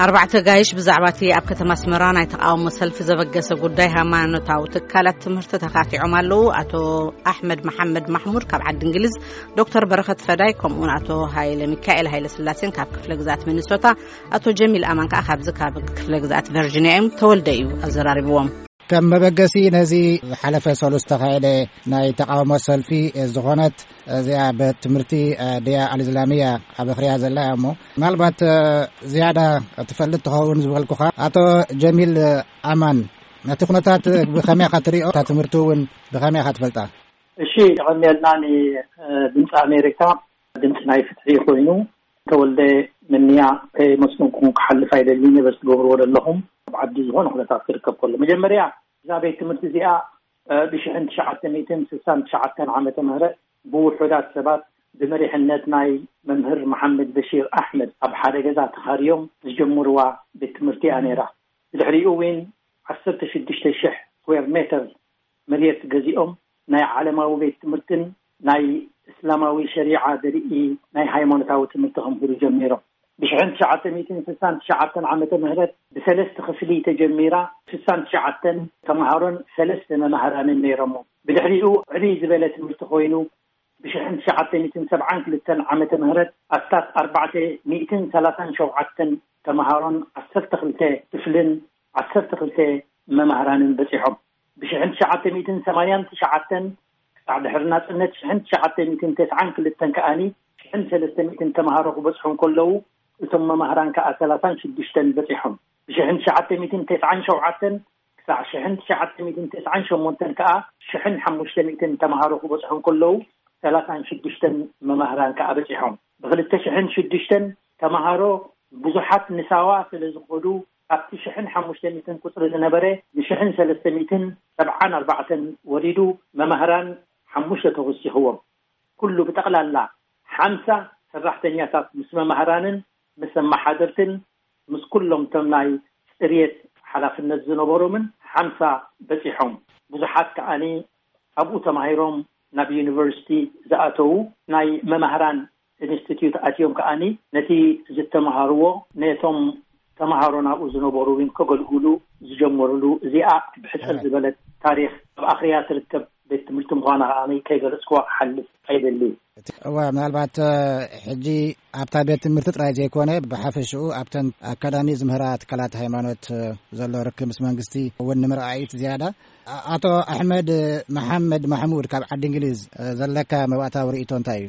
ኣርባዕተ ጋይሽ ብዛዕባ እቲ ኣብ ከተማ ኣስመራ ናይ ተቓውሞ ሰልፊ ዘበገሰ ጉዳይ ሃይማኖታዊ ትካላት ትምህርቲ ተኻቲዖም ኣለዉ። ኣቶ ኣሕመድ መሓመድ ማሕሙድ ካብ ዓዲ እንግሊዝ፣ ዶክተር በረኸት ፈዳይ፣ ከምኡውን ኣቶ ሃይለ ሚካኤል ሃይለ ስላሴን ካብ ክፍለ ግዛኣት ሚኒሶታ፣ ኣቶ ጀሚል ኣማን ከኣ ካብዚ ካብ ክፍለ ግዛኣት ቨርጂኒያ እዮም። ተወልደ እዩ ኣዘራሪብዎም። ከም መበገሲ ነዚ ዝሓለፈ ሰሉስ ተኻየደ ናይ ተቓውሞ ሰልፊ ዝኾነት እዚኣ ቤት ትምህርቲ ድያ ኣልእስላምያ ኣብ ኣኽርያ ዘላ እያ እሞ፣ ምናልባት ዝያዳ ትፈልጥ ትኸውን ዝበልኩኻ፣ ኣቶ ጀሚል ኣማን፣ ነቲ ኩነታት ብኸመይ ኢኻ ትሪኦ? እታ ትምህርቲ እውን ብኸመይ ኢኻ ትፈልጣ? እሺ፣ የቐንየልና። ንድምፂ ኣሜሪካ ድምፂ ናይ ፍትሒ ኮይኑ፣ ተወልደ ምንያ ከየመስገንኩም ክሓልፍ ኣይደልን እየ፣ በዚ ትገብርዎ ዘለኹም ኣብ ዓዲ ዝኾነ ኩነታት ክርከብ ከሎ። መጀመርያ፣ እዛ ቤት ትምህርቲ እዚኣ ብሽሕን ትሽዓተ ሚእትን ስሳን ትሽዓተን ዓመተ ምህረት ብውሑዳት ሰባት ብመሪሕነት ናይ መምህር መሓመድ በሺር ኣሕመድ ኣብ ሓደ ገዛ ተኻርዮም ዝጀመርዋ ቤት ትምህርቲ እያ ነይራ። ብድሕሪኡ እውን ዓሰርተ ሽዱሽተ ሽሕ ስኩዌር ሜተር መሬት ገዚኦም ናይ ዓለማዊ ቤት ትምህርትን ናይ እስላማዊ ሸሪዓ ዘርኢ ናይ ሃይማኖታዊ ትምህርቲ ከምህሩ ጀሚሮም። ብሽሕን ትሽዓተ ሚእትን ስሳን ትሽዓተን ዓመተ ምህረት ብሰለስተ ክፍሊ ተጀሚራ፣ ስሳን ትሽዓተን ተምሃሮን ሰለስተ መማህራንን ነይሮሞ። ብድሕሪኡ ዕብይ ዝበለ ትምህርቲ ኮይኑ፣ ብሽሕን ትሽዓተ ሚእትን ሰብዓን ክልተን ዓመተ ምህረት ኣስታት ኣርባዕተ ሚእትን ሰላሳን ሸውዓተን ተምሃሮን ዓሰርተ ክልተ ክፍልን ዓሰርተ ክልተ መማህራንን በጺሖም። ብሽሕን ትሽዓተ ሚእትን ሰማንያን ትሽዓተን ክሳዕ ድሕሪ ናጽነት ሽሕን ትሽዓተ ሚእትን ተስዓን ክልተን ከኣኒ ሽሕን ሰለስተ ሚእትን ተምሃሮ ክበጽሑ እንከለዉ፣ እቶም መማህራን ከኣ ሰላሳን ሽዱሽተን በጺሖም። ብሽሕን ትሽዓተ ሚእትን ተስዓን ሸውዓተን ክሳዕ ሽሕን ትሽዓተ ሚእትን ተስዓን ሸሞንተን ከኣ ሽሕን ሓሙሽተ ሚእትን ተምሃሮ ክበጽሑ እንከለዉ፣ ሰላሳን ሽዱሽተን መማህራን ከኣ በጺሖም። ብኽልተ ሽሕን ሽዱሽተን ተምሃሮ ብዙሓት ንሳዋ ስለ ዝኸዱ፣ ካብቲ ሽሕን ሓሙሽተ ሚእትን ቁጽሪ ዝነበረ ንሽሕን ሰለስተ ሚእትን ሰብዓን ኣርባዕተን ወሪዱ፣ መማህራን ሓሙሽተ ተወሲኽዎም። ኩሉ ብጠቕላላ ሓምሳ ሰራሕተኛታት ምስ መማህራንን ምስ ኣመሓደርትን ምስ ኩሎም እቶም ናይ ጽርየት ሓላፍነት ዝነበሮምን ሓምሳ በጺሖም። ብዙሓት ከኣኒ ኣብኡ ተማሂሮም ናብ ዩኒቨርሲቲ ዝኣተዉ፣ ናይ መማህራን ኢንስቲትዩት ኣትዮም ከኣኒ ነቲ ዝተምሃርዎ ነቶም ተምሃሮ ናብኡ ዝነበሩ እውን ከገልግሉ ዝጀመሩሉ፣ እዚኣ ብሕጽር ዝበለት ታሪኽ ኣብ ኣኽርያ ትርከብ ቤት ትምህርቲ ምዃና ከኣ ከይገለጽክዋ ክሓልፍ ኣይደልን። እወ፣ ምናልባት ሕጂ ኣብታ ቤት ትምህርቲ ጥራይ ዘይኮነ፣ ብሓፈሽኡ ኣብተን ኣካዳሚ ዝምህራ ትካላት ሃይማኖት ዘሎ ርክብ ምስ መንግስቲ እውን ንምርኣይ እቲ ዝያዳ። ኣቶ ኣሕመድ መሓመድ ማሕሙድ ካብ ዓዲ እንግሊዝ ዘለካ መባእታዊ ርእይቶ እንታይ እዩ?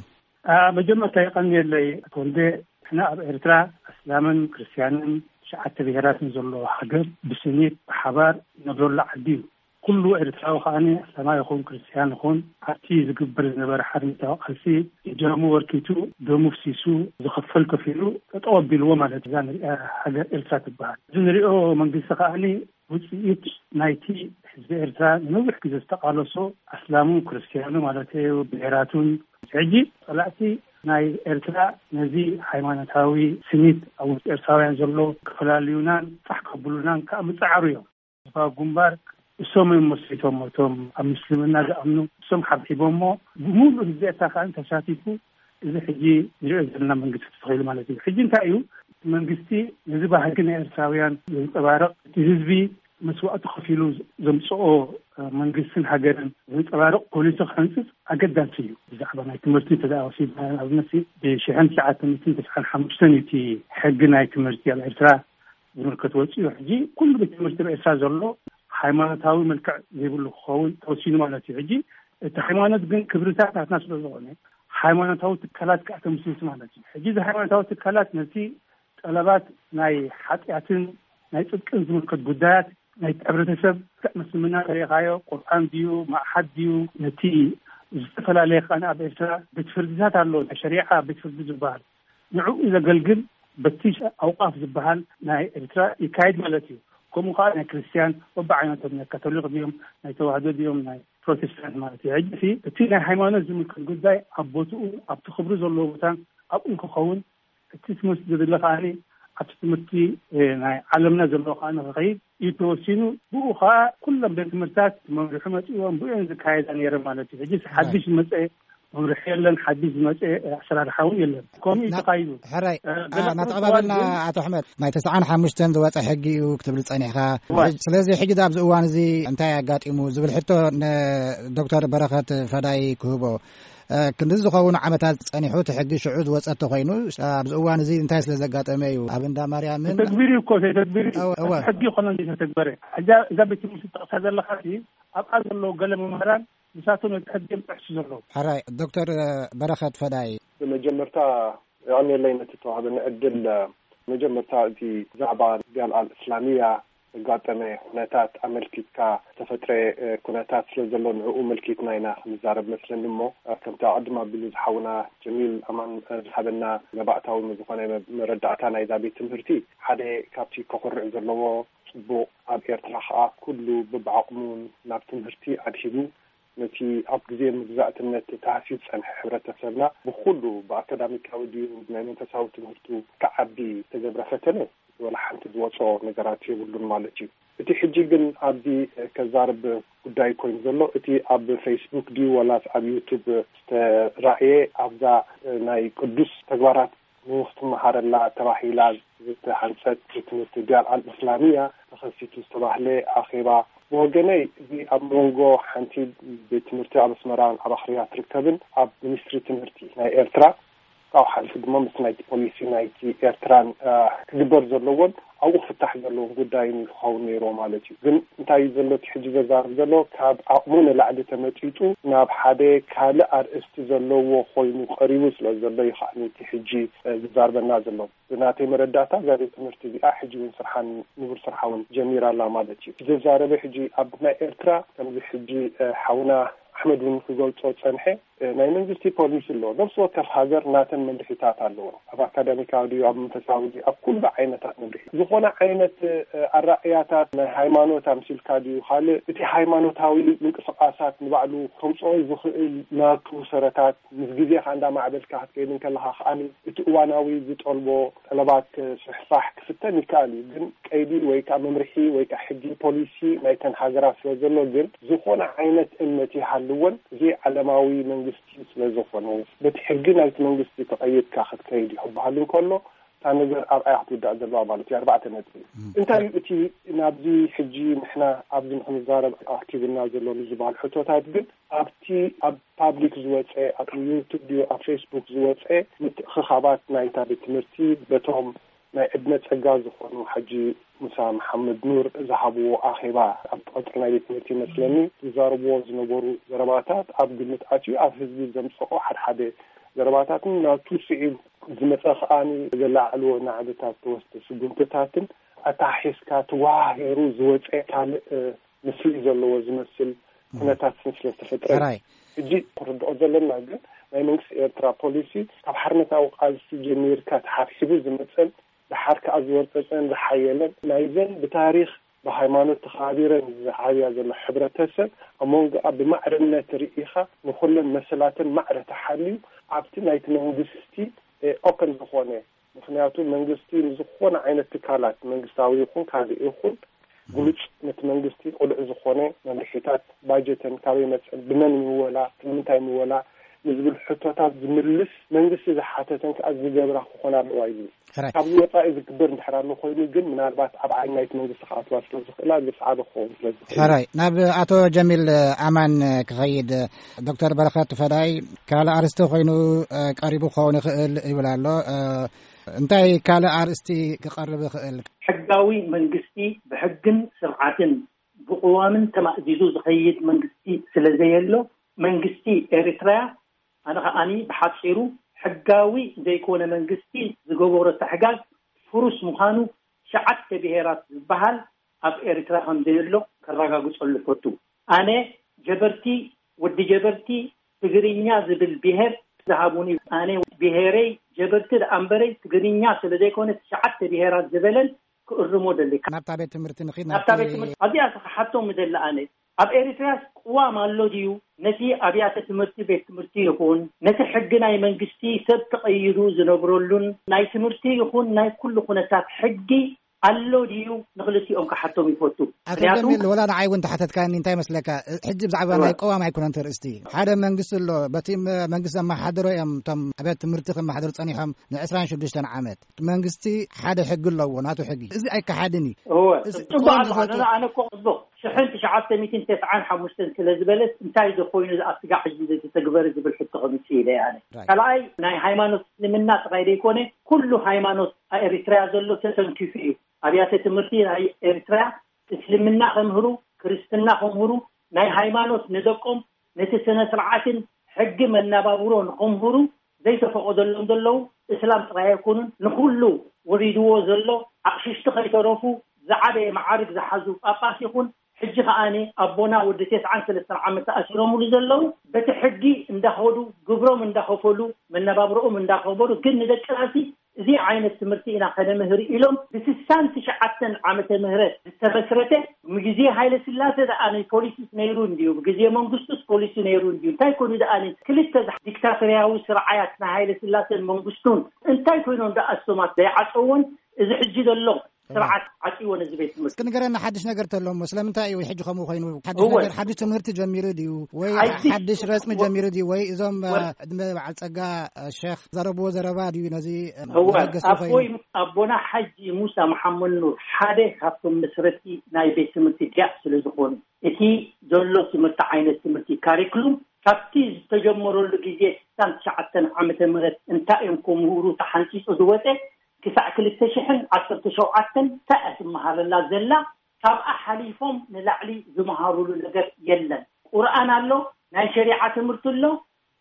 መጀመርታ የቐንየለይ ኣቶ ወልደ። ንሕና ኣብ ኤርትራ ኣስላምን ክርስትያንን ትሽዓተ ብሄራትን ዘለዎ ሃገር ብስኒት ብሓባር ነብረሉ ዓዲ እዩ። ኩሉ ኤርትራዊ ከኣ ኣስላማይ ይኹን ክርስትያን ይኹን ኣብቲ ዝግበር ዝነበረ ሓርነታዊ ቃልሲ እጃሙ ኣበርኪቱ ደሙ ኣፍሲሱ ዝኸፈል ከፊሉ ጠጠው ኣቢልዎ ማለት እዛ ንሪኣ ሃገር ኤርትራ ትበሃል። እዚ ንሪኦ መንግስቲ ከኣ ውፅኢት ናይቲ ህዝቢ ኤርትራ ንነዊሕ ግዜ ዝተቃለሶ ኣስላሙን ክርስትያኑ ማለት እዩ ብሄራቱን ሕጂ ጸላእቲ ናይ ኤርትራ ነዚ ሃይማኖታዊ ስኒት ኣብ ውሽጢ ኤርትራውያን ዘሎ ክፈላልዩናን ፋሕ ከብሉናን ከዓ ምጽዓሩ እዮም። ህዝባዊ ግንባር እሶም እዮም መስሪቶም እቶም ኣብ ምስልምና ዝኣምኑ እሶም ሓብሒቦሞ ብምሉእ ህዝቢ ኤርትራ ከዓ ተሳቲፉ እዚ ሕጂ ንሪኦ ዘለና መንግስቲ ተተኺሉ ማለት እዩ። ሕጂ እንታይ እዩ እቲ መንግስቲ ነዚ ባህጊ ናይ ኤርትራውያን ዘንጸባርቕ እቲ ህዝቢ መስዋእቲ ከፊሉ ዘምጽኦ መንግስትን ሃገርን ዘንጸባርቕ ፖሊሲ ክሕንጽጽ ኣገዳሲ እዩ። ብዛዕባ ናይ ትምህርቲ እንተ ደኣ ወሲድና ንኣብነት ብሽሕን ትሽዓተ ሚእትን ተስዓን ሓሙሽተን እዩ እቲ ሕጊ ናይ ትምህርቲ ኣብ ኤርትራ ዝምልከት ወጺኡ። ሕጂ ኩሉ ቤት ትምህርቲ ኣብ ኤርትራ ዘሎ ሃይማኖታዊ መልክዕ ዘይብሉ ክኸውን ተወሲኑ ማለት እዩ። ሕጂ እቲ ሃይማኖት ግን ክብርታት ናትና ስለ ዝኾነ ሃይማኖታዊ ትካላት ከዓ ተምስርቱ ማለት እዩ። ሕጂ እዚ ሃይማኖታዊ ትካላት ነቲ ጠለባት ናይ ሓጢኣትን ናይ ጽድቅን ዝምልከት ጉዳያት ናይ ሕብረተሰብ ክዕ ምስልምና ተሪኻዮ ቁርኣን ድዩ ማእሓድ ድዩ ነቲ ዝተፈላለየ ከኣ ኣብ ኤርትራ ቤት ፍርድታት ኣሎ ናይ ሸሪዓ ቤት ፍርዲ ዝበሃል ንዕኡ ዘገልግል በቲ ኣውቃፍ ዝበሃል ናይ ኤርትራ ይካየድ ማለት እዩ። ከምኡ ከዓ ናይ ክርስትያን በብዓይነቶም ናይ ካቶሊክ ድዮም ናይ ተዋህዶ ድዮም ናይ ፕሮቴስታንት ማለት እዩ። ሕጂ እቲ ናይ ሃይማኖት ዝምልከት ጉዳይ ኣብ ቦትኡ ኣብቲ ክብሪ ዘለዎ ቦታ ኣብኡ ክኸውን እቲ ትምህርቲ ዝድለ ከዓኒ ኣብቲ ትምህርቲ ናይ ዓለምና ዘለዎ ከዓ ንክኸይድ እዩ ተወሲኑ። ብኡ ከዓ ኩሎም ቤት ትምህርትታት መምርሒ መፅእዎም ብኡ ዝካየዳ ነይረ ማለት እዩ። ሕጂ ሓድሽ ዝመፀ መምርሒ የለን፣ ሓዲስ ዝመፀ ኣሰራርሓ እውን የለን። ከምኡ እዩ ና- ተኻይዱ። ሕራይ፣ እ፣ ኣ፣ ገለ ናተቐባበልና ክኸውን ግን ኣቶ ኣሕመድ፣ ናይ ተስዓን ሓሙሽተን ዝወፀ ሕጊ እዩ ክትብል ጸኒሕካ። እዋይ። ስለዚ ሕጂ ኣብዚ እዋን እዚ እንታይ ኣጋጢሙ ዝብል ሕቶ ንዶክተር በረኸት ፈዳይ ክህቦ። እ፣ ክንዲ ዝኸውን ዓመታት ጸኒሑ እቲ ሕጊ ሽዑ ዝወጸ እንተኾይኑ፣ ኣብዚ እዋን እዚ እንታይ ስለ ዘጋጠመ እዩ? ኣብ እንዳ ማርያምን ተተግቢሩ እኮ፣ ተተግቢሩ እዩ። እወ፣ እወ። ሕጊ ይኮነ እንዲ ተተግበረ። እዛ፣ እዛ ቤት ትምህርቲ ትጠቕሳ ዘለኻ ሲ ኣብኣ ዘለዉ ገለ መምህራን ንሳቶም ነቲ ሕጊ እዮም ጥሕሱ ዘለዉ። ሕራይ፣ ዶክተር በረኸት ፈዳይ። ብመጀመርታ የቐንየለይ ነቲ ተዋህበኒ ዕድል። መጀመርታ እቲ ዛዕባ ዲያል ኣል እስላሚያ ዘጋጠመ ኩነታት ኣመልኪትካ ዝተፈጥረ፣ እ፣ ኩነታት ስለ ዘሎ ንዕኡ መልኪትና ኢና ክንዛረብ መስለኒ እሞ፣ እ፣ ከምቲ ኣቐድም ኣቢሉ ዝሓውና ጀሚል ኣማን፣ እ፣ ዝሃበና መባእታዊ ዝኾነ መ-፣ መረዳእታ ናይዛ ቤት ትምህርቲ ሓደ ካብቲ ከኹርዕ ዘለዎ ጽቡቕ፣ ኣብ ኤርትራ ከኣ ኩሉ በብዓቕሙ ናብ ትምህርቲ ኣድሂቡ ነቲ ኣብ ግዜ መግዛእትነት ተሃስዩ ዝጸንሐ ሕብረተሰብና ብኹሉ ብኣካዳሚካዊ ድዩ ናይ መንፈሳዊ ትምህርቱ ክዓቢ ዝተገብረ ፈተነ ወላ ሓንቲ ዝወጾ ነገራት የብሉን ማለት እዩ። እቲ ሕጂ ግን ኣብዚ ከዛርብ ጉዳይ ኮይኑ ዘሎ እቲ ኣብ ፌስቡክ ድዩ ወላስ ኣብ ዩቱብ ዝተራእየ ኣብዛ ናይ ቅዱስ ተግባራት ንክትመሃረላ ተባሂላ ዝተሃንጸት ቤት ትምህርቲ ዲያል ኣል እስላሚያ ተኸሲቱ ዝተባህለ ኣኼባ ብወገነይ እዚ ኣብ መንጎ ሓንቲ ቤት ትምህርቲ ኣብ ኣስመራን ኣብ ኣኽርያ ትርከብን ኣብ ሚኒስትሪ ትምህርቲ ናይ ኤርትራ ካብኡ ሓሊፉ ድማ ምስ ናይቲ ፖሊሲ ናይቲ ኤርትራን ክግበር ዘለዎን ኣብኡ ክፍታሕ ዘለዎም ጉዳይን ክኸውን ነይርዎ ማለት እዩ። ግን እንታይ እዩ ዘሎ እቲ ሕጂ ዘዛርብ ዘሎ ካብ ዓቕሙ ንላዕሊ ተመጢጡ ናብ ሓደ ካልእ ኣርእስቲ ዘለዎ ኮይኑ ቀሪቡ ስለ ዘሎ እዩ ከዓ እቲ ሕጂ ዝዛርበና ዘሎ። ብናተይ መረዳእታ እዛ ቤት ትምህርቲ እዚኣ ሕጂ እውን ስርሓን ንቡር ስርሓ እውን ጀሚራ ኣላ ማለት እዩ። ዘዛረበ ሕጂ ኣብ ናይ ኤርትራ ከምዚ ሕጂ ሓውና ኣሕመድ እውን ክገልጾ ጸንሐ ናይ መንግስቲ ፖሊሲ ኣሎ። ነፍሲ ወከፍ ሃገር ናተን መምርሒታት ኣለዎ። ኣብ ኣካዳሚካዊ ድዩ ኣብ መንፈሳዊ ድዩ ኣብ ኩሉ ዓይነታት መምርሒ ዝኾነ ዓይነት ኣራእያታት ናይ ሃይማኖት ኣምሲልካ ድዩ ካልእ እቲ ሃይማኖታዊ ምንቅስቃሳት ንባዕሉ ከምፅኦ ዝኽእል ናቱ ሰረታት ምስ ግዜኻ እንዳማዕበልካ ክትከይድ እንከለኻ ከኣ እቲ እዋናዊ ዝጠልቦ ጠለባት ክስሕፋሕ ክፍተን ይከኣል እዩ። ግን ቀይዲ ወይ ከዓ መምርሒ ወይ ከዓ ሕጊ ፖሊሲ ናይተን ሃገራት ስለ ዘሎ ግን ዝኾነ ዓይነት እምነት ይሃልወን እዚ ዓለማዊ መንግስቲ ስለ ዝኾነ በቲ ሕጊ ናይቲ መንግስቲ ተቐይድካ ክትከይድ እዩ ክበሃል እንከሎ እታ ነገር ኣብኣያ ክትውዳእ ዘለዋ ማለት እዩ። ኣርባዕተ ነጥቢ እዩ። እንታይ እዩ እቲ ናብዚ ሕጂ ንሕና ኣብዚ ንክንዛረብ ኣኪቡና ዘሎ ንዝበሃል ሕቶታት ግን ኣብቲ ኣብ ፓብሊክ ዝወፀ ኣብ ዩቱብ ድዩ ኣብ ፌስቡክ ዝወፀ ምትእኽኻባት ናይታ ቤት ትምህርቲ በቶም ናይ ዕድመ ፀጋ ዝኾኑ ሓጂ ሙሳ መሓመድ ኑር ዝሃብዎ ኣኼባ ኣብ ቀፅሪ ናይ ቤት ትምህርቲ ይመስለኒ ዝዛረብዎ ዝነበሩ ዘረባታት ኣብ ግምት ኣትዩ ኣብ ህዝቢ ዘምፀኦ ሓድሓደ ዘረባታትን ናቱ ስዒቡ ዝመፀ ከዓኒ ዘለዓዕልዎ ናዕብታት ተወስደ ስጉምትታትን ኣተሓሒዝካ ተዋሃሂሩ ዝወፀ ካልእ ምስሊ ዘለዎ ዝመስል ኩነታት ስለ ዝተፈጥረ ሕጂ ክርድኦ ዘለና ግን ናይ መንግስቲ ኤርትራ ፖሊሲ ካብ ሓርነታዊ ቃልሲ ጀሚርካ ተሓብሒቡ ዝመፀን ደሓር ከዓ ዝወርፀፀን ዝሓየለን ናይዘን ብታሪክ ብሃይማኖት ተኸባቢረን ዝዓብያ ዘሎ ሕብረተሰብ ኣብ መንጎኣ ብማዕርነት ርኢኻ ንኩለን መሰላተን ማዕረ ተሓልዩ ኣብቲ ናይቲ መንግስቲ ኦፐን ዝኾነ ምክንያቱ መንግስቲ ንዝኾነ ዓይነት ትካላት መንግስታዊ ይኹን ካልእ ይኹን ግሉጽ ነቲ መንግስቲ ቅሉዕ ዝኾነ መምርሒታት ባጀተን ካበይ መጸን ብመን ምወላ ንምንታይ ምወላ ንዝብል ሕቶታት ዝምልስ መንግስቲ ዝሓተተን ከዓ ዝገብራ ክኾና ኣለዋ ይብል። ካብዚ ወፃኢ ዝግበር እንድሕር ኣሎ ኮይኑ ግን ምናልባት ኣብ ዓይኒ ናይቲ መንግስቲ ክኣትዋ ስለ ዝኽእላ ግፍዓበ ክኸውን ስለ ዝኽእል ሕራይ ናብ ኣቶ ጀሚል ኣማን ክኸይድ ዶክተር በረኸት ፈዳይ ካልእ ኣርስቲ ኮይኑ ቀሪቡ ክኸውን ይኽእል ይብል ኣሎ። እንታይ ካልእ ኣርእስቲ ክቐርብ ይኽእል? ሕጋዊ መንግስቲ ብሕግን ስርዓትን ብቅዋምን ተማእዚዙ ዝኸይድ መንግስቲ ስለዘየሎ መንግስቲ ኤሪትራያ ኣነ ከዓኒ ብሓፂሩ ሕጋዊ ዘይኮነ መንግስቲ ዝገበሮ ተሕጋግ ፍሩስ ምዃኑ ሸዓተ ብሄራት ዝበሃል ኣብ ኤሪትራ ከምዘየሎ ከረጋግፀሉ ፈቱ። ኣነ ጀበርቲ ወዲ ጀበርቲ ትግርኛ ዝብል ብሄር ዝሃቡኒ ኣነ ብሄረይ ጀበርቲ ደኣ እምበረይ ትግርኛ ስለ ዘይኮነ ትሽዓተ ብሄራት ዝበለን ክእርሞ ደሊ። ናብታ ቤት ትምህርቲ ንኺድ ናብታ ቤት ትምህርቲ ኣብዚኣ ክሓቶም ምደሊ ኣነ ኣብ ኤሪትራስ ቅዋም ኣሎ ድዩ? ነቲ ኣብያተ ትምህርቲ ቤት ትምህርቲ ይኹን ነቲ ሕጊ ናይ መንግስቲ ሰብ ተቐይሩ ዝነብረሉን ናይ ትምህርቲ ይኹን ናይ ኩሉ ኩነታት ሕጊ ኣሎ ድዩ? ንክልቲኦም ክሓቶም ይፈቱ። ኣቶ ምክንያቱ ጀሚል፣ ወላ ንዓይ እውን ተሓተትካኒ፣ እንታይ መስለካ? ሕጂ ብዛዕባ እወ። ናይ ቀዋም ኣይኮነን እቲ ርእስቲ። ሓደ መንግስቲ ኣሎ፣ በቲ መ-፣ መንግስቲ ዘመሓድሮ እዮም እቶም ኣብያተ ትምህርቲ ከመሓድሩ ጸኒሖም ን ዕስራን ሽዱሽተን ዓመት። መንግስቲ ሓደ ሕጊ ኣለዎ፣ ናቱ ሕጊ። እዚ ኣይከሓድን እዩ። እወ፣ እዚ ጽቡቅ ቀዋም ኣሎ። ዝፈቱ ኣነ፣ ኣነ እኮ ጽቡቅ፣ ሽሕን ትሽዓተ ሚእትን ተስዓን ሓሙሽተን ስለ ዝበለስ፣ እንታይ ዝኾይኑ ዝኣስጋዕ ሕጂ ዘተተግበረ ዝብል ሕቶ ከምጽእ ኢለ ኣነ። ራይት። ካልኣይ፣ ናይ ሃይማኖት እስልምና ጥራይ ዘይኮነ፣ ኩሉ ሃይማኖት ኣብ ኤሪትርያ ዘሎ ተተንኪፉ እዩ። ኣብያተ ትምህርቲ ናይ ኤሪትርያ እስልምና ከምህሩ፣ ክርስትና ከምህሩ፣ ናይ ሃይማኖት ንደቆም፣ ነቲ ስነ ስርዓትን ሕጊ መነባብሮ ንከምህሩ ዘይተፈቐደሎም ዘለዉ፣ እስላም ጥራይ ኣይኮኑን፣ ንኹሉ ወሪድዎ ዘሎ ኣቕሽሽቲ ከይተረፉ ዝዓበየ መዓርግ ዝሓዙ ጳጳስ ይኹን፣ ሕጂ ከኣኒ ኣቦና ወዲ ተስዓን ሰለስተን ዓመት ተኣሲሮምሉ ዘለዉ፣ በቲ ሕጊ እንዳኸዱ፣ ግብሮም እንዳኸፈሉ፣ መነባብሮኦም እንዳኸበሩ፣ ግን ንደቅናሲ እዚ ዓይነት ትምህርቲ ኢና ከነምህር ኢሎም ብስሳን ትሽዓተን ዓመተ ምህረት ዝተመስረተ፣ ግዜ ሃይለ ስላሴ ደኣ ናይ ፖሊሲስ ነይሩ እንድዩ፣ ግዜ መንግስቱስ ፖሊሲ ነይሩ እንድዩ፣ እንታይ ኮኑ ደኣ ክልተ ዲክታቶርያዊ ስርዓያት ናይ ሃይለ ስላሴን መንግስቱን እንታይ ኮይኖም ደኣ እሶማት ዘይዓፀዎን እዚ ሕጂ ዘሎ ስርዓት ዓፂዎ ነዚ ቤት ትምህርቲ። እስኪ ንገረና ሓድሽ ነገር ተሎ እሞ፣ ስለምንታይ እዩ ሕጂ ከምኡ ኮይኑ? ሓድሽ እወ። ነገር፣ ሓድሽ ትምህርቲ ጀሚሩ ድዩ? ወይ ሓድሽ ሓድሽ ረጽሚ ጀሚሩ ድዩ? ወይ እዞም፣ እወ። እ፣ ዕድመ በዓል ጸጋ፣ እ፣ ሸኽ ዘረብዎ ዘረባ ድዩ ነዚ፣ እ፣ እወ። መበገሲ ኣቦይ፣ ኮይኑ? ኣቦና ሓጂ ሙሳ መሓመድ ኑር ሓደ ካብቶም መስረቲ ናይ ቤት ትምህርቲ ዲያስ ስለ ዝኾኑ፣ እቲ ዘሎ ትምህርቲ ዓይነት ትምህርቲ ካሪክሉም ካብቲ ዝተጀመረሉ ግዜ ስሳን ትሽዓተን ዓመተ ምህረት እንታይ እዮም ክምህሩ ተሓንጺጹ ዝወጸ ክሳዕ ክልተ ሽሕን ዓሰርተ ሸውዓተን እንታይ እያ ትመሃረላ ዘላ? ካብኣ ሓሊፎም ንላዕሊ ዝመሃሩሉ ነገር የለን። ቁርኣን ኣሎ፣ ናይ ሸሪዓ ትምህርቲ ኣሎ፣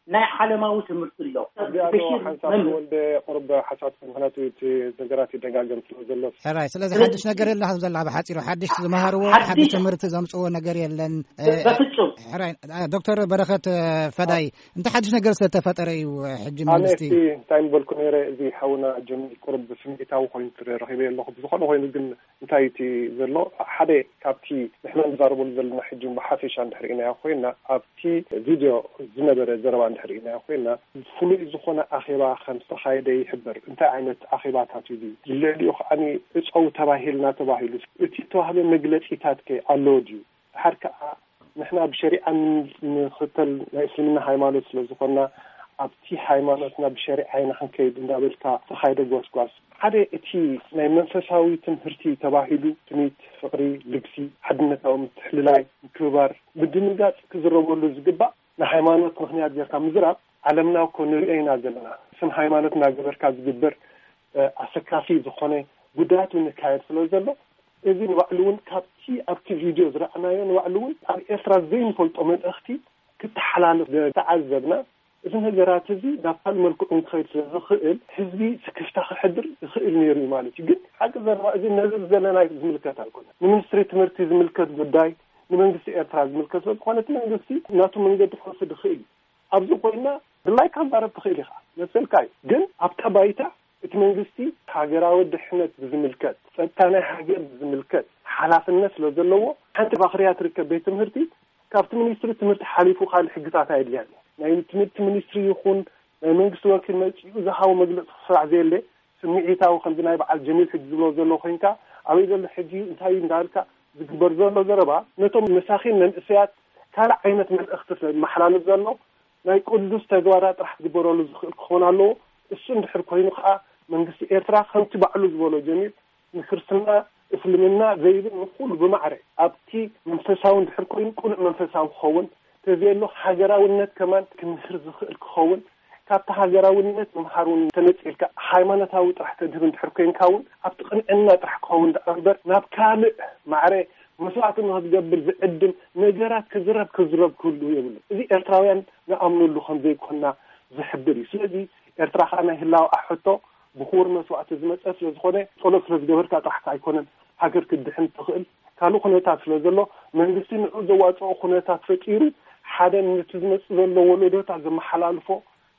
ናይ ዓለማዊ ትምህርቲ ኣሎ። እዚኣ ዶ በሽር ሓንሳብ መምህር። ተወልደ ቁሩብ ሓሳብ፣ ምኽንያቱ እቲ ነገራት ይደጋገም ስለ ዘሎ። ሕራይ፣ ስለዚ ስለዚ ሓድሽ ነገር የለ ዘላ ብሓጺሩ፣ ሓድሽ ዝመሃርዎ፣ ሓድሽ ሓድሽ ትምህርቲ ዘምጽዎ ነገር የለን። እ፣ በፍጹም። ሕራይ፣ እ፣ ዶክተር በረኸት፣ እ፣ ፈዳይ፣ እንታይ ሓድሽ ነገር ዝተፈጠረ እዩ፣ እ፣ ሕጂ ኣነ መንግስቲ? እቲ እንታይ ምበልኩ ነይረ፣ እዚ ሓውና ጀሚል ቁሩብ ስምዒታዊ ኮይኑ ትረ-፣ ረኺበ ኣለኹ። ብዝኾነ ኮይኑ ግን እንታይ እቲ ዘሎ፣ ሓደ ካብቲ ንሕና ንዛረበሉ ዘለና ሕጂ ብሓፈሻ እንድሕር ኢናዮ ኮይና፣ ኣብቲ ቪድዮ ዝነበረ ዘረባ እንድሕር ኢናዮ ኮይና፣ ፍሉይ ዝኾነ ኣኼባ ከም ዝተኻየደ ይሕበር። እንታይ ዓይነት ኣኼባታት እዩ? ልዕሊኡ ከዓኒ እጸው ተባሂልና ተባሂሉ፣ እቲ እተዋህበ መግለጺታት ከ ኣሎ ድዩ? ድሓር ከኣ ንሕና ብሸሪዓ ንኽተል ናይ እስልምና ሃይማኖት ስለ ዝኾንና፣ ኣብቲ ሃይማኖትና ብሸሪዓ ኢና ክንከይድ እንዳበልካ ዝተኻየደ ጎስጓስ፣ ሓደ እቲ ናይ መንፈሳዊ ትምህርቲ ተባሂሉ ትምኒት፣ ፍቕሪ፣ ልግሲ፣ ሓድነታዊ ምትሕልላይ፣ ምክብባር፣ ምድንጋጽ ክዝረበሉ ዝግባእ ንሃይማኖት ምኽንያት ጌርካ ምዝራብ፣ ዓለምና እኮ ንሪኦ ኢና ዘለና። ስም ሃይማኖት እናገበርካ ዝግበር፣ እ፣ ኣሰካፊ ዝኾነ ጉዳያት እውን ይካየድ ስለ ዘሎ፣ እዚ ንባዕሉ እውን ካብቲ ኣብቲ ቪድዮ ዝረኣናዮ ንባዕሉ እውን ኣብ ኤርትራ ዘይንፈልጦ መልእኽቲ ክተሓላልፍ ዝተዓዘብና፣ እዚ ነገራት እዚ ናብ ካልእ መልክዑ ክኸይድ ስለ ዝኽእል፣ ህዝቢ ስክፍታ ክሕድር ይኽእል ነይሩ እዩ ማለት እዩ። ግን ሓቂ ዘረባ፣ እዚ ነዚ ዘለና ዝምልከት ኣይኮነን። ንሚኒስትሪ ትምህርቲ ዝምልከት ጉዳይ፣ ንመንግስቲ ኤርትራ ዝምልከት ስለ ዝኾነ፣ እቲ መንግስቲ ናቱ መንገዲ ክወስድ ይኽእል እዩ። ኣብዚ ኮይና ድላይካ ክዛረብ ትኽእል ኢኻ፣ መሰልካ እዩ። ግን ኣብታ ባይታ እቲ መንግስቲ ሃገራዊ ድሕነት ብዝምልከት፣ ጸጥታ ናይ ሃገር ብዝምልከት ሓላፍነት ስለ ዘለዎ፣ ሓንቲ ባኽርያ ትርከብ ቤት ትምህርቲ ካብቲ ሚኒስትሪ ትምህርቲ ሓሊፉ ካልእ ሕግታት ኣየድልያን እዩ። ናይ ትምህርቲ ሚኒስትሪ ይኹን ናይ መንግስቲ ወኪል መጺኡ ዝሃቦ መግለጺ ክስራዕ ዘየለ፣ ስምዒታዊ ከምዚ ናይ በዓል ጀሚል ሕጂ ዝብሎ ዘሎ ኮይንካ፣ ኣበይ ዘሎ ሕጂ እንታይ እዩ እንዳበልካ ዝግበር ዘሎ ዘረባ፣ ነቶም መሳኺን መንእሰያት ካልእ ዓይነት መልእኽቲ ስለ ዝመሓላልፍ ዘሎ፣ ናይ ቅዱስ ተግባራት ጥራሕ ክግበረሉ ዝኽእል ክኸውን ኣለዎ። እሱ እንድሕር ኮይኑ ከኣ መንግስቲ ኤርትራ ከምቲ ባዕሉ ዝበሎ ጀሚር ንክርስትና እስልምና ዘይብል ንኹሉ ብማዕረ ኣብቲ መንፈሳዊ እንድሕር ኮይኑ ቅኑዕ መንፈሳዊ ክኸውን፣ ተዘየሎ ሃገራውነት ከማን ክምህር ዝኽእል ክኸውን፣ ካብቲ ሃገራውነት ምምሃር እውን ተነጺልካ ሃይማኖታዊ ጥራሕ ተድህብ እንድሕር ኮይንካ እውን ኣብቲ ቅንዕና ጥራሕ ክኸውን ደኣ እምበር ናብ ካልእ ማዕረ መስዋዕቲ ንኽትገብር ዝዕድም ነገራት ክዝረብ ክዝረብ ክህሉ የብሉ። እዚ ኤርትራውያን ንኣምነሉ ከም ዘይኮንና ዝሕብር እዩ። ስለዚ ኤርትራ ከኣ ናይ ህላወኣ ሕቶ ብኽቡር መስዋዕቲ ዝመጸ ስለ ዝኾነ፣ ጸሎት ስለ ዝገበርካ ጥራሕ ከኣ ኣይኮነን ሃገር ክትድሕን ትኽእል። ካልእ ኩነታት ስለ ዘሎ፣ መንግስቲ ንዑ ዘዋጽኦ ኩነታት ፈጢሩ፣ ሓደ ነቲ ዝመጽእ ዘሎ ወለዶታት ዘመሓላልፎ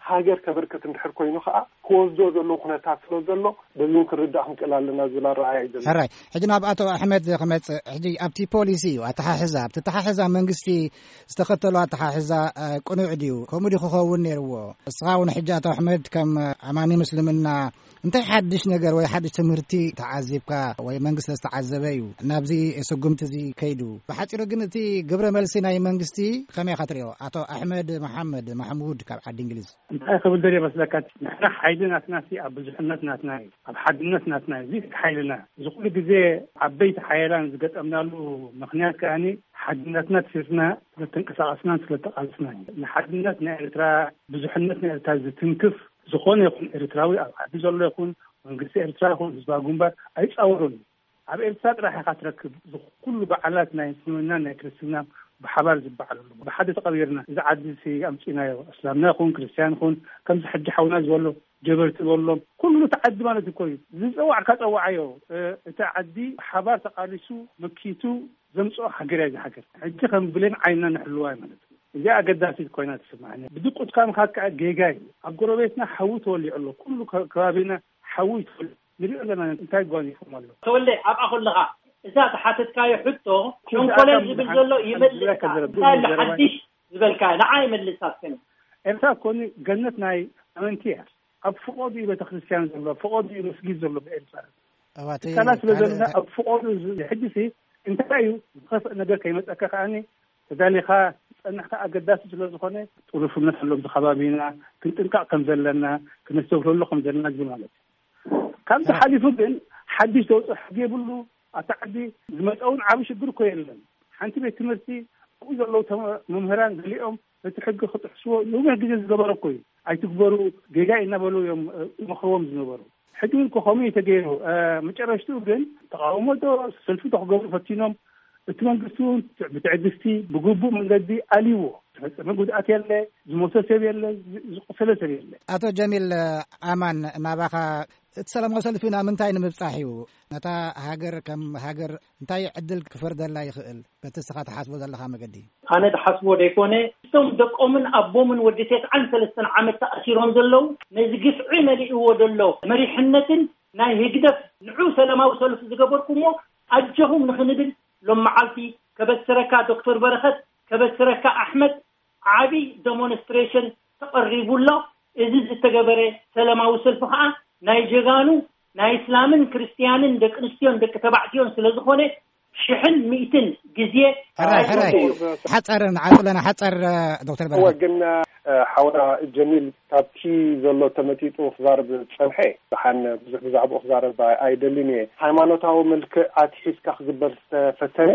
ሃገር ከበርከት እንድሕር ኮይኑ ከኣ፣ ክወስዶ ዘሎ ኩነታት ስለ ዘሎ፣ በዚ እውን ክንርዳእ ክንክእል ኣለና ዝብል ኣረኣእያ እዩ ዘሎ። ሕራይ፣ ሕጂ ናብ ኣቶ ኣሕመድ ክመጽእ። ሕጂ ኣብቲ ፖሊሲ እዩ ኣተሓሕዛ፣ ኣብቲ ኣተሓሕዛ መንግስቲ ዝተኸተሎ ኣተሓሕዛ፣ እ፣ ቅኑዕ ድዩ? ከምኡ ድዩ ክኸውን ነይርዎ? እስኻ እውን ሕጂ ኣቶ ኣሕመድ ከም ኣማኒ ምስልምና እንታይ ሓድሽ ነገር ወይ ሓድሽ ትምህርቲ ተዓዚብካ ወይ መንግስቲ ዝተዓዘበ እዩ ናብዚ ስጉምቲ እዚ ከይዱ? ብሓጺሩ ግን እቲ ግብረ መልሲ ናይ መንግስቲ ከመይ ኢኻ ትሪኦ? ኣቶ ኣሕመድ መሓመድ ማሕሙድ ካብ ዓዲ እንግሊዝ። እንታይ ክብል ደልየ መስለካ? ንሕና ሓይሊ ናትና ሲ ኣብ ብዙሕነት ናትና እዩ፣ ኣብ ሓድነት ናትና እዩ። እዚ ሓይልና እዚ ኩሉ ግዜ ዓበይቲ ሓያላን ዝገጠምናሉ ምኽንያት ከኣኒ ሓድነትና ትሲርና ስለተንቀሳቐስናን ስለተቓለስናን እዩ። ንሓድነት ናይ ኤርትራ፣ ብዙሕነት ናይ ኤርትራ ዝትንክፍ ዝኾነ ይኹን ኤርትራዊ፣ ኣብ ዓዲ ዘሎ ይኹን መንግስቲ ኤርትራ ይኹን ህዝባዊ ግንባር ኣይጻወሩን። ኣብ ኤርትራ ጥራሕ ኢኻ ትረክብ። እዚ ኩሉ በዓላት ናይ እስልምና ናይ ክርስትና ብሓባር ዝበዓለሉ፣ ብሓደ ተቐቢርና እዚ ዓዲ ሲ ኣምጺናዮ፣ እስላምና ይኹን ክርስትያን ይኹን፣ ከምዚ ሕጂ ሓውና ዝበሎ ጀበርቲ ዝበሎም ኩሉ እቲ ዓዲ ማለት እኮ እዩ። ዝጸዋዕካ ጸዋዓዮ፣ እ፣ እቲ ዓዲ ብሓባር ተቓሊሱ መኪቱ ዘምጽኦ ሃገር እያ። እዚ ሃገር ሕጂ ከም ብሌን ዓይንና ንሕልዋ እዩ ማለት እዩ። እዚኣ ኣገዳሲት ኮይና ትስምዓኒ። ብድቁትካ ምኻድ ከዓ ጌጋ እዩ። ኣብ ጎረቤትና ሓዊ ተወሊዑ ኣሎ። ኩሉ ከ-፣ ከባቢና ሓዊ ተወሊዑ ንሪኦ ኣለና። እንታይ ጓኒፎም ኣሎ? ተወልደ፣ ኣብኣ ከለኻ እዛ ዝሓተትካዮ ሕቶ፣ እቲ ሸንኮለል ኣካል ዝብል ዝሓ-፣ ዘሎ ይመልስ ዝብለካ ከኣ። ዘረብ-፣ እንታይ ኣሎ ዘረባ ሓድሽ ዝበልካ? ንዓ ይመልስ ኣስከኒ። ኤርትራ ኮኒ ገነት ናይ ኣመንቲ እያ። ኣብ ፍቖዱ እዩ ቤተክርስትያን ዘሎ፣ ኣብ ፍቖዱ እዩ መስጊድ ዘሎ ብኤርትራ። እዋ፣ እቲ ትካላት ስለ ካልእ ዘለና እንታይ ኣብ ፍቖዱ ዝ-፣ ሕጂ ሲ እንታይ እዩ ዝኸፍእ ነገር ከይመጸካ ከኣኒ ተዳሊኻ ዝጸናሕካ ኣገዳሲ ስለ ዝኾነ ጥሩፍነት ኣሎ ኣብዚ ከባቢና ክንጥንቀቕ ከም ዘለና ክነስተብህለሉ ከም ዘለና ዝብል ማለት እዩ። ካብዚ ኣይ። ሓሊፉ ግን ሓድሽ ዘውፅእ ሕጊ የብሉ። ኣታ ዓዲ ዝመፀ እውን ዓብዪ ሽግር እኮ የለን። ሓንቲ ቤት ትምህርቲ ኣብኡ ዘለዉ ተመ-፣ መምህራን ገሊኦም ነቲ ሕጊ ክጥሕስዎ ነዊሕ ግዜ ዝገበረ እኮ እዩ። ኣይትግበሩ ጌጋ እዩ እናበሉ እዮም፣ እ፣ ይመኽርዎም ዝነበሩ። ሕጂ እውን እኮ ከምኡ እዩ ተገይሩ። እ፣ መጨረሽትኡ ግን ተቃውሞ ዶ ሰልፊ ዶ ክገብሩ ፈቲኖም። እቲ መንግስቲ እውን ብትዕግስቲ ብግቡእ መንገዲ ኣልይዎ። ዝፈጸመ ጉድኣት የለ፣ ዝሞተ ሰብ የለ፣ ዝ-፣ ዝቆሰለ ሰብ የለ። ኣቶ ጀሚል ኣማን፣ ናባኻ፣ እቲ ሰላማዊ ሰልፊ ናብ ምንታይ ንምብጻሕ እዩ? ነታ ሃገር ከም ሃገር እንታይ ዕድል ክፈርደላ ይኽእል? በቲ እስኻ ትሓስቦ ዘለኻ መገዲ። ኣነ ዝሓስቦ ደይኮነ፣ እቶም ደቆምን ኣቦምን ወዲ ተስዓን ሰለስተን ዓመት ተኣሲሮም ዘለዉ፣ ነዚ ግፍዒ መሊእዎ ዘሎ መሪሕነትን ናይ ህግደፍ ንዑ ሰላማዊ ሰልፊ ዝገበርኩሞ ኣጆኹም ንኽንብል ሎም መዓልቲ ከበስረካ ዶክተር በረኸት፣ ከበስረካ ኣሕመድ፣ ዓቢ ደሞንስትሬሽን ተቐሪቡ ኣሎ። እዚ ዝተገበረ ሰላማዊ ሰልፊ ኸኣ ናይ ጀጋኑ ናይ እስላምን ክርስትያንን ደቂ ኣንስትዮን ደቂ ተባዕትዮን ስለ ዝኾነ ሽሕን ሚእትን ግዜ ሕራይ፣ ሕራይ። ተቐሪቡ እዩ። ሓጸር ንዓጽለና፣ ሓጸር፣ ዶክተር እወ፣ በረኸት። ግን፣ እ፣ ሓውና ጀሚል ካብቲ ዘሎ ተመጢጡ ክዛረብ ዝጸንሐ፣ ደሓን ብዙሕ ብዛዕባኡ ክዛረብ ኣይ-፣ ኣይደልን እየ። ሃይማኖታዊ መልክዕ ኣትሒዝካ ክግበር ዝተፈተነ፣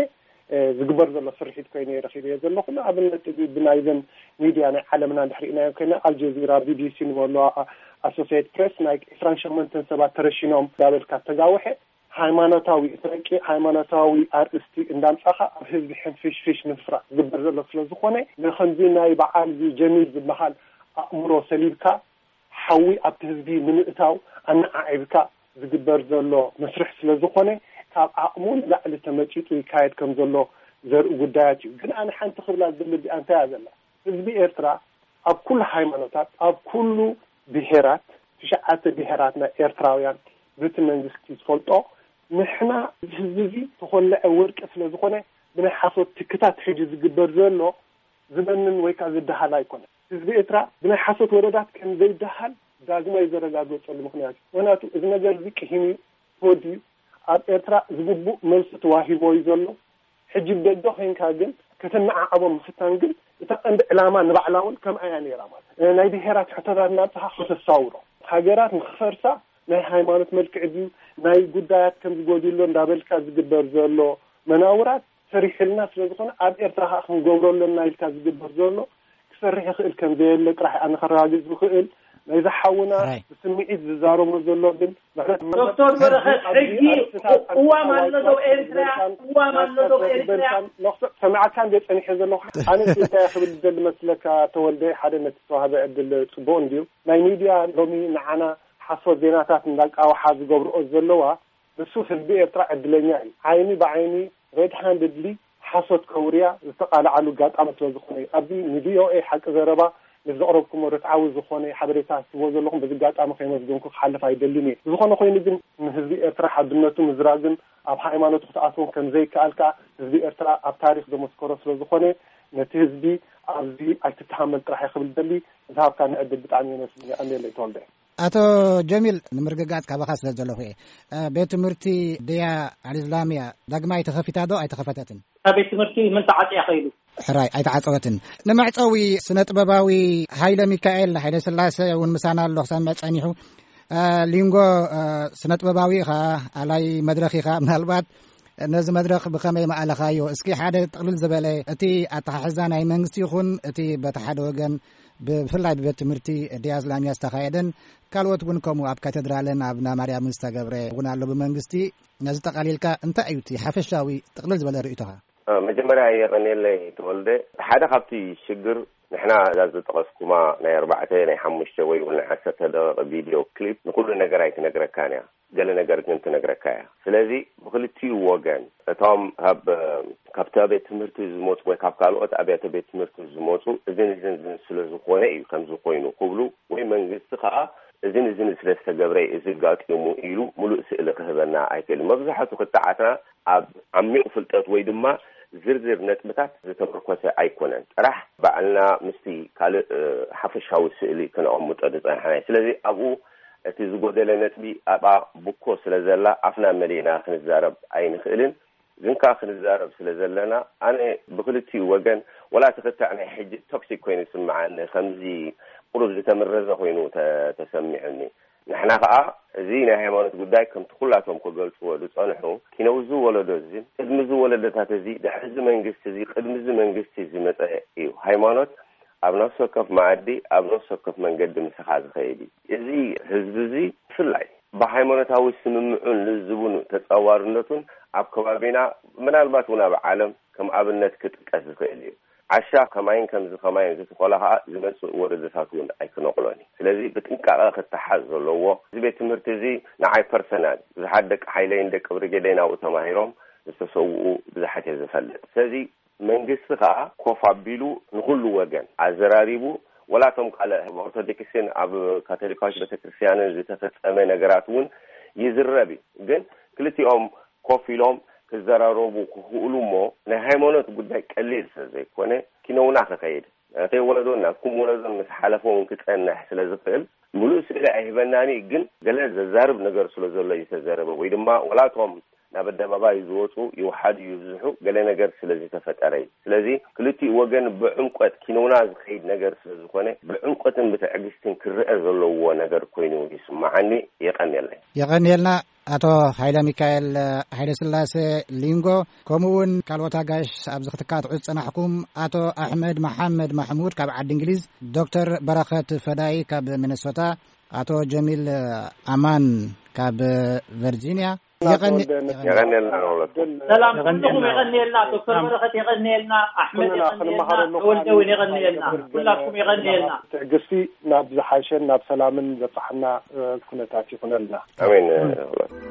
እ፣ ዝግበር ዘሎ ስርሒት ኮይኑ እየ ረኺበዮ ዘለኹ። ንኣብነት፣ ብ-፣ ብናይዘን ሚድያ ናይ ዓለምና እንድሕር ርኢናዮ ኮይና፣ ኣልጀዚራ፣ ቢ ቢ ሲ ንበሎ፣ ኣ-፣ ኣሶሲየትድ ፕሬስ፣ ናይ ዕስራን ሸሞንተን ሰባት ተረሺኖም እንዳበልካ ተጋውሐ፣ ሃይማኖታዊ፣ እቲ ረቂቕ ሃይማኖታዊ ኣርእስቲ እንዳምጻኻ ኣብ ህዝቢ ሕንፍሽፍሽ ንምፍራቕ ዝግበር ዘሎ ስለ ዝኾነ፣ ንኸምዚ ናይ በዓል እዚ ጀሚል ዝበሃል ኣእምሮ ሰሊብካ፣ ሓዊ ኣብቲ ህዝቢ ንምእታው ኣነዓዒብካ ዝግበር ዘሎ መስርሕ ስለ ዝኾነ፣ ካብ ዓቕሙ ንላዕሊ ተመጺጡ ይካየድ ከም ዘሎ ዘርኢ ጉዳያት እዩ። ግን ኣነ ሓንቲ ክብላ ዝደሊ እዚኣ እንታይ እያ ዘላ? ህዝቢ ኤርትራ ኣብ ኩሉ ሃይማኖታት፣ ኣብ ኩሉ ብሄራት፣ ትሽዓተ ብሄራት ናይ ኤርትራውያን፣ በቲ መንግስቲ ዝፈልጦ፣ ንሕና እዚ ህዝቢ እዚ ተኾለዐ ወርቂ ስለ ዝኾነ፣ ብናይ ሓሶት ትክታት ሕጂ ዝግበር ዘሎ ዝበንን ወይ ከዓ ዝደሃል ኣይኮነን። ህዝቢ ኤርትራ ብናይ ሓሶት ወረታት ከም ዘይደሃል ዳግማ እዩ ዘረጋገጸሉ ምኽንያት እዩ። ምኽንያቱ እዚ ነገር እዚ ቅሂም እዩ፣ ተወዲኡ ኣብ ኤርትራ ዝግቡእ መልሲ ተዋሂቦ እዩ ዘሎ። ሕጂ ብደገ ኮይንካ ግን ከተመዓዕቦ ምፍታን ግን እታ ቀንዲ ዕላማ ንባዕላ እውን ከምኣ እያ ነይራ ማለት እዩ። ናይ ብሄራት ሕቶታት እናምጽኻ ከተሳውሮ፣ ሃገራት ንኽፈርሳ ናይ ሃይማኖት መልክዕ ድዩ፣ ናይ ጉዳያት ከም ዝጎድሎ እንዳበልካ ዝግበር ዘሎ መናውራት ሰሪሕልና ስለ ዝኾነ ኣብ ኤርትራ ከዓ ክንገብሮ ኣለና ኢልካ ዝግበር ዘሎ ክሰርሕ ይኽእል ከም ዘየለ ጥራሕ ኣነ ከረጋግጽ ዝኽእል። ናይዚ ሓውና ራይ። ብስምዒት ዝዛረቦ ዘሎ ግን ምሕረት ዶክተር በረኸት፣ ኣብዚ ሕጊ ኣርእስታት እዋም ኣሎ ዶ ኣዋጅ ኤርትራ? ዝበልካን እዋም ኣሎ ዶ ማስተር ኤርትራ? ዝበልካን መኽሰብ ሰማዕካን ዘይ ጸኒሐ ዘለኹ ኣነ እንታይ ክብል ዝደሊ መስለካ ተወልደ፣ ሓደ ነቲ ዝተዋህበ ዕድል ጽቡቕ እንድዩ። ናይ ሚድያ ሎሚ ንዓና ሓሶት ዜናታት እንዳቃውሓ ዝገብርኦ ዘለዋ ንሱ ህዝቢ ኤርትራ ዕድለኛ እዩ። ዓይኒ ብዓይኒ ሬድ ሃንድድሊ ሓሶት ከውርያ ዝተቓልዓሉ ኣጋጣሚ ስለ ዝኾነ እዩ። ኣብዚ ንቪኦኤ ሓቂ ዘረባ ነዚ ዘቕረብኩሞ ርትዓዊ ዝኾነ ሓበሬታ ትህቦ ዘለኹም በዚ ኣጋጣሚ ከይመስገንኩ ክሓልፍ ኣይደልን እየ። ዝኾነ ኮይኑ ግን ንህዝቢ ኤርትራ ሓድነቱ ምዝራግን ኣብ ሃይማኖቱ ክትኣትዎም ከም ዘይከኣል ከኣ ህዝቢ ኤርትራ ኣብ ታሪኽ ዘመስከሮ ስለ ዝኾነ ነቲ ህዝቢ ኣብዚ ኣይትተሃመል ጥራሕ እየ ክብል ደሊ። ዝሃብካኒ ዕድል ብጣዕሚ የመስግን። የቐንየለይ ተወልደ። ኣቶ ጀሚል፣ ንምርግጋጽ ካባኻ ስለ ዘለኹ እየ። እ፣ ቤት ትምህርቲ ድያ ኣልእስላምያ ዳግማይ ተኸፊታ ዶ ኣይተኸፈተትን? እታ ቤት ትምህርቲ ምን ተዓጽያ ኸይዱ? ሕራይ ኣይተዓጸወትን። ንመዕጸዊ ስነ ጥበባዊ ሃይለ ሚካኤል ሃይለ ስላሴ እውን ምሳና ኣሎ ክሰምዕ ጸኒሑ። እ፣ ሊንጎ፣ እ፣ ስነ ጥበባዊ ኢኻ፣ ኣላይ መድረኽ ኢኻ። ምናልባት ነዚ መድረኽ ብኸመይ መኣለኻዮ? እስኪ ሓደ ጥቕልል ዝበለ እቲ ኣተሓሕዛ ናይ መንግስቲ ይኹን እቲ በቲ ሓደ ወገን ብፍላይ ብቤት ትምህርቲ ድያ እስላምያ ዝተኻየደን ካልኦት እውን ከምኡ ኣብ ካቴድራልን ኣብ ናማርያምን ዝተገብረ እውን ኣሎ ብመንግስቲ። ነዚ ጠቓሊልካ እንታይ እዩ እቲ ሓፈሻዊ ጥቕልል ዝበለ ርእይቶኻ? እ፣ መጀመርያ የቐንየለይ ተወልደ። ሓደ ካብቲ ሽግር ንሕና እዛ ዝጠቐስኩማ ናይ ኣርባዕተ፣ ናይ ሓሙሽተ ወይ እውን ናይ ዓሰርተ ደቂቕ ቪድዮ ክሊፕ ንኹሉ ነገር ኣይትነግረካን እያ። ገለ ነገር ግን ትነግረካ እያ። ስለዚ ብኽልቲኡ ወገን እቶም ካብ፣ ካብቲ ቤት ትምህርቲ ዝመፁ ወይ ካብ ካልኦት ኣብያተ ቤት ትምህርቲ ዝመፁ እዝን እዝን እዝን ስለ ዝኾነ እዩ ከምዚ ኮይኑ ክብሉ ወይ መንግስቲ ከዓ እዝን እዝን ስለ ዝተገብረ እዩ እዚ ጋጢሙ ኢሉ ሙሉእ ስእሊ ክህበና ኣይክእልን። መብዛሕቱ ክትዓትና ኣብ ዓሚቕ ፍልጠት ወይ ድማ ዝርዝር ነጥብታት ዝተመርኮሰ ኣይኮነን። ጥራሕ ባዕልና ምስቲ ካልእ፣ እ፣ ሓፈሻዊ ስእሊ ክነቐምጦ ዝጸናሕና እዩ። ስለዚ ኣብኡ እቲ ዝጎደለ ነጥቢ ኣብኣ ብኮ ስለ ዘላ ኣፍና መሊእና ክንዛረብ ኣይንኽእልን። ግን ከኣ ክንዛረብ ስለ ዘለና ኣነ ብክልቲኡ ወገን ወላ እቲ ክትዕ ናይ ሕጂ ቶክሲክ ኮይኑ ይስምዓኒ፣ ከምዚ ቁሩብ ዝተመረዘ ኮይኑ ተ-፣ ተሰሚዑኒ። ንሕና ከኣ እዚ ናይ ሃይማኖት ጉዳይ ከምቲ ኩላቶም ክገልጽዎ ዝጸንሑ ኪነውዚ ወለዶ እዚ ቅድሚ እዚ ወለዶታት እዚ ድሕሪ እዚ መንግስቲ እዚ ቅድሚ እዚ መንግስቲ ዝመጸ እዩ። ሃይማኖት ኣብ ነፍሲ ወከፍ መኣዲ ኣብ ነፍሲ ወከፍ መንገዲ ምሳኻ ዝኸይድ እዩ። እዚ ህዝቢ እዚ ብፍላይ ብሃይማኖታዊ ስምምዑን ልዝቡን ተጻዋርነቱን ኣብ ከባቢና ምናልባት እውን ኣብ ዓለም ከም ኣብነት ክጥቀስ ዝኽእል እዩ። ዓሻ ከማይን ከምዚ ከማይን ዝተኾላ ኸዓ ዝመጽእ ወለዶታት እውን ኣይክነቕሎን እዩ። ስለዚ ብጥንቃቐ ክተሓዝ ዘለዎ እዚ ቤት ትምህርቲ እዚ ንዓይ ፐርሰናል ብዙሓት ደቂ ሓይለይን ደቂ ብርጌደይን ኣብኡ ተማሂሮም ዝተሰውኡ ብዙሓት እየ ዝፈልጥ። ስለዚ መንግስቲ ኸዓ ኮፍ ኣቢሉ ንኹሉ ወገን ኣዘራሪቡ ወላቶም ካልእ ኣብ ኦርቶዶክስን ኣብ ካቶሊካዊት ቤተክርስትያንን ዝተፈጸመ ነገራት እውን ይዝረብ እዩ። ግን ክልቲኦም ኮፍ ኢሎም ክዘራረቡ ክኽእሉ እሞ ናይ ሃይማኖት ጉዳይ ቀሊል ስለ ዘይኮነ ኪነውና ክኸይድ ናተይ ወለዶን ናትኩም ወለዶን ምስ ሓለፈ እውን ክጸንሕ ስለ ዝኽእል ምሉእ ስእሊ ኣይህበናን እዩ። ግን ገለ ዘዛርብ ነገር ስለ ዘሎ እዩ ዝተዘረበ ወይ ድማ ወላቶም ናብ ኣደባባይ ዝወፁ ይውሓዱ ይብዝሑ ገለ ነገር ስለ ዝተፈጠረ እዩ። ስለዚ ክልቲኡ ወገን ብዕምቆት ኪነውና ዝኸይድ ነገር ስለ ዝኾነ ብዕምቆትን ብትዕግስትን ክረአ ዘለዎ ነገር ኮይኑ ይስምዓኒ። የቐንየለይ። የቐንየልና። ኣቶ ሃይለ ሚካኤል ሃይለ ስላሴ ሊንጎ፣ ከምኡ እውን ካልኦት ኣጋይሽ ኣብዚ ክትካትዑ ዝጸናሕኩም፣ ኣቶ ኣሕመድ መሓመድ ማሕሙድ ካብ ዓዲ እንግሊዝ፣ ዶክተር በረኸት ፈዳይ ካብ ሚነሶታ፣ ኣቶ ጀሚል ኣማን ካብ ቨርጂንያ። የቐኒ-፣ ተወልደ፣ የቐኒ-፣ የቐንየልና ንሁለትኩም። ሰላም ኩልኹም የቐንየልና። ዶክተር በረኸት የቐንየልና። ኣሕመድ ኩልና የቐንየልና። ክንመሃረሉ ተወልደ እውን የቐንየልና። ክነግር ኩላትኩም የቐንየልና። ትዕግስቲ ናብ ዝሓሸን ናብ ሰላምን ዘብጽሓና፣ እ፣ ኩነታት ይኹነልና። ኣሜን።